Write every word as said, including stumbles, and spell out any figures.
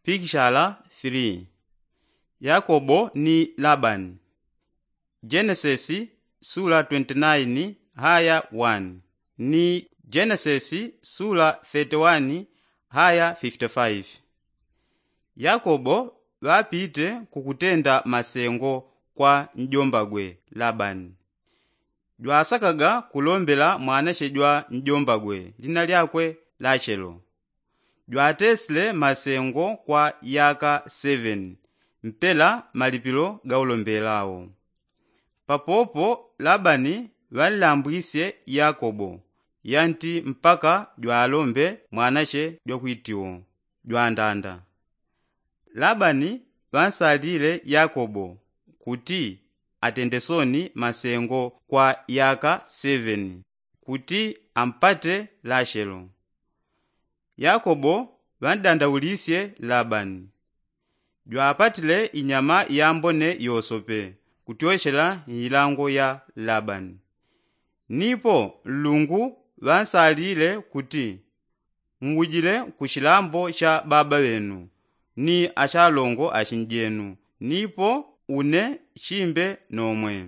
Pikishala three. Yakobo ni Labani. Jenesesi sula twenty-nine haya one, ni Jenesesi sula thirty-one haya fifty-five. Yakobo ŵapite kukutenda masengo kwa njombagwe Labani. Jwasakaga kulombela mwanache jwa njombagwe lina lyakwe Lachelo. Jwatesile masengo kwa yaka seven mpela malipilo gaulombelao. Papopo Labani ŵanlambwisye Yakobo yanti mpaka jwalombe mwanache jwakwitiwo jwandanda. Labani ŵansalile Yakobo kuti atende soni masengo kwa yaka seven kuti ampate Lachelo. Yakobo ŵandandaulisye Labani. Jwapatile inyama yambone yosope kutyochela ilango ya Labani. Nipo nlungu ŵansalile kuti, ngujile ku chilambo cha baba ŵenu ni achalongo achinjenu, nipo une chimbe nomwe.